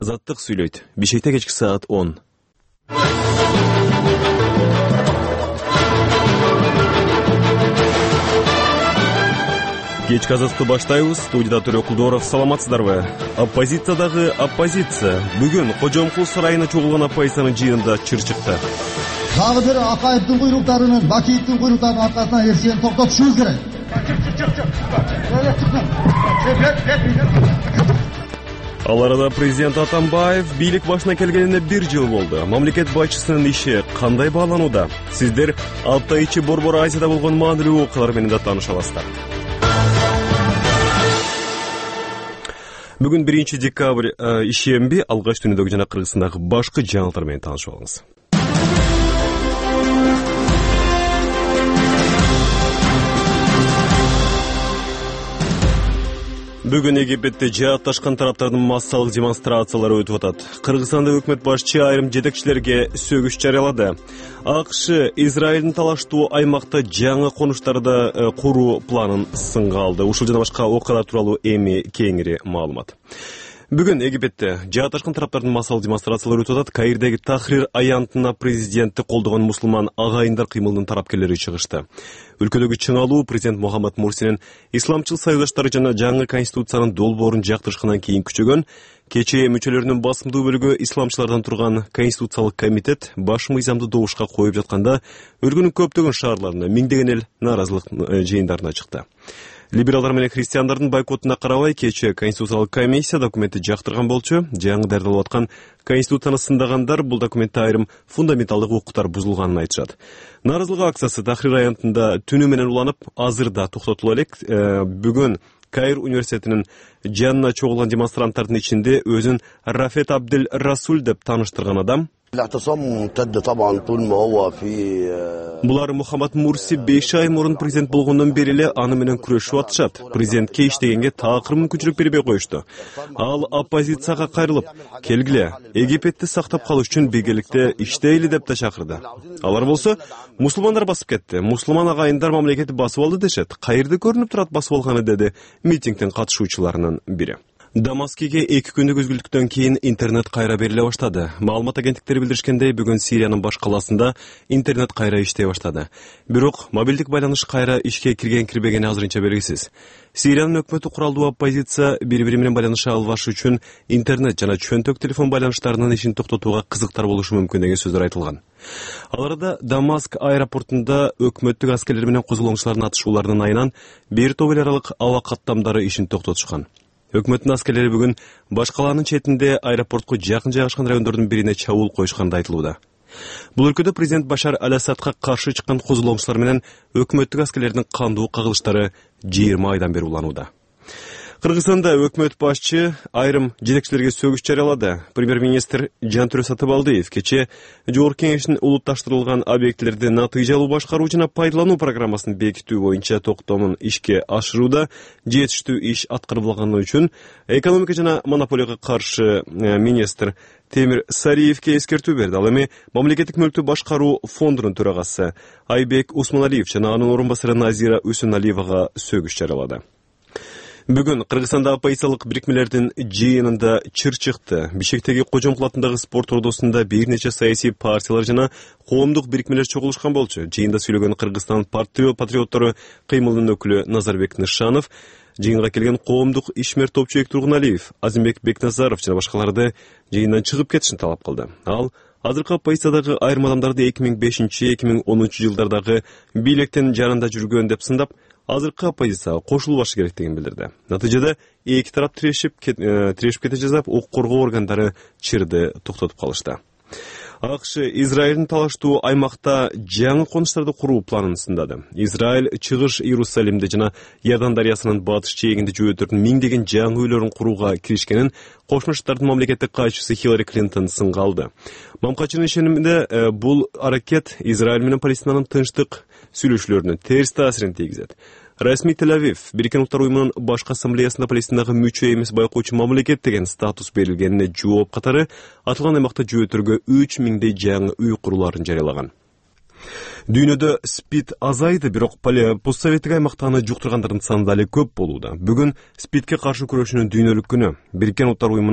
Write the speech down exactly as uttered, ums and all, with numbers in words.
Азаттык сүйлөйт. Бишкекте кечки саат он. Кечки азатты баштайбыз. Студияда Төрө Кулдоров. Саламатсыздарбы? Оппозициядагы оппозиция бүгүн Кожомкул сарайына чогулган оппозициянын жыйынында чыр чыкты. Дагы бир Акаевдин буйруктарынын, Бакиевдин буйруктарынын аркасынан эрсени токтотушубуз керек. Ал арада президент Атамбаев бийлик башына келгенине бир жыл болду. Мамлекет башчысынын иши кандай бааланууда? Сиздер алты ай ичи Борбор Азияда болгон маанилүү окуялар менен да тааныша аласыздар. Бүгүн биринчи декабрь ишемби, алгач дүйнөдөгү жана Кыргызстандагы башкы жаңылыктар менен таанышып алыңыз. Бүгүн Египетте жаатташкан тараптардын массалык демонстрациялары өтүп атат. Кыргызстанда өкмөт башчы айрым жетекчилерге сөгүш жарыялады. АКШ Израилдин талаштуу аймакта жаңы конуштарды куруу планын сынга алды. Ушул жана башка окуялар тууралуу эми кеңири маалымат. Бүгүн Египетте жаатташкан тараптардын массалык демонстрациялары өтүп атат. Каирдеги Тахрир аянтына президентти колдогон мусулман агайындар кыймылынын тарапкерлери чыгышты. Өлкөдөгү чыңалуу президент Мухаммад Мурсинин исламчыл союздаштары жана жаңы конституциянын долбоорун жактырышкандан кийин күчөгөн. Кечээ мүчөлөрүнүн басымдуу бөлүгү исламчылардан турган Конституциялык комитет баш мыйзамды добушка коюп жатканда өлкөнүн көптөгөн шаарларына миңдеген эл нааразылык жыйындарына чыкты. Либералдар менен христиандардын бойкотуна карабай кечээ Конституциялык комиссия документти жактырган болчу. Жаңы даярдалып аткан Конституцияны сындагандар бул документте айрым фундаменталдык укуктар бузулганын айтышат. Нааразылык акциясы Тахрир аянтында түнү менен уланып, азыр да токтотула элек. Бүгүн Каир университетинин жанына чогулган демонстранттардын ичинде өзүн Рафет Абдель Расул деп тааныштырган адам. Булар Мухаммад Мурси беш ай мурун президент болгондон бери эле аны менен күрөшүп атышат. Президентке иштегенге такыр мүмкүнчүлүк бербей коюшту. Ал оппозицияга кайрылып, келгиле, Египетти сактап калыш үчүн биргеликте иштейли деп да чакырды. Алар болсо мусулмандар басып кетти. Мусулман агайындар мамлекетти басып алды дешет. Кайерде көрүнүп турат басып алганы, деди митингдин катышуучуларынын бири. Дамаскиге эки күндүк үзгүлтүктөн кийин интернет кайра бериле баштады. Маалымат агенттиктери билдиришкендей, бүгүн Сириянын баш каласында интернет кайра иштей баштады. Бирок мобилдик байланыш кайра ишке кирген-кирбегени азырынча белгисиз. Сириянын өкмөтү куралдуу оппозиция бири-бири менен байланыша албаш үчүн интернет жана чөнтөк телефон байланыштарынын ишин токтотууга кызыктар болушу мүмкүн деген сөздөр айтылган. Ал арада Дамаск аэропортунда өкмөттүк аскерлер менен козголоңчулардын атышууларынын айынан бир топ эл аралык аба каттамдары ишин токтотушкан. Өкмөттүн аскерлери бүгүн баш калаанын четинде аэропортко жакын жайгашкан райондордун бирине чабуул коюшканды айтылууда. Бул өлкөдө президент Башар Аль-Асадка каршы чыккан козголоңчулар менен өкмөттүк аскерлердин кандуу кагылыштары жыйырма айдан бери уланууда. Кыргызстанда өкмөт башчы айрым жетекчилерге сөгүш жарыялады. Премьер-министр Жантөрө Сатыбалдиев кечээ Жогорку Кеңештин улутташтырылган объектилерди натыйжалуу башкаруу жана пайдалануу программасын бекитүү боюнча токтомун ишке ашырууда жетиштүү иш аткарылбаганы үчүн экономика жана монополияга каршы министр Темир Сариевке эскертүү берди. Ал эми мамлекеттик мүлктү башкаруу фондунун төрагасы Айбек Усманалиев жана анын орун басары Назира Үсүналиевага сөгүш жарыялады. Бүгүн Кыргызстанда оппозициялык бирикмелердин жыйынында чыр чыкты. Бишкектеги Кожомкул атындагы спорт ордосунда бир нече саясий партиялар жана коомдук бирикмелер чогулушкан болчу. Жыйында сүйлөгөн Кыргызстан патриоттору кыймылынын өкүлү Назарбек Нышанов, жыйынга келген коомдук ишмер топчубек Тургуналиев, Азимбек Бекназаров жана башкаларды жыйындан чыгып кетишин талап кылды. Ал азыркы оппозициядагы айрым адамдарды эки миң бешинчи эки миң онунчу жылдардагы бийликтин жанында жүргөн деп сындап, азыркы оппозицияга кошулбашы керек деген билдирди. Натыйжада эки тарап тирешип тирешип кете жаздап, укук коргоо органдары чырды токтотуп калышты. АКШ Израилдин талаштуу аймакта жаңы конуштарды куруу планын сындады. Израиль чыгыш Иерусалимде жана Иордан дарыясынын батыш жээгинде жөөтөрдүн миңдеген жаңы үйлөрүн курууга киришкенин Кошмо Штаттын мамлекеттик катчысы Хиллари Клинтон сынга алды. Мамкачынын ишениминде бул аракет Израиль менен Палестинанын тынчтык сүйлөшүүлөрүнө терс таасирин тийгизет. Расмий Тель-Авив Бириккен Улуттар уюмунун башкы ассамблеясында Палестинага мүчө эмес байкоочу мамлекет деген статус берилгенине жооп катары атылган аймакта жөөтөргө үч миңдей жаңы үй куруларын жарыялаган. Дүйнөдө СПИД азайды, бирок постсоветтик аймакта аны жуктургандардын саны дали көп болууда. Бүгүн СПИДке каршы күрөшүүнүн дүйнөлүк күнү. Бириккен Улуттар уюмунун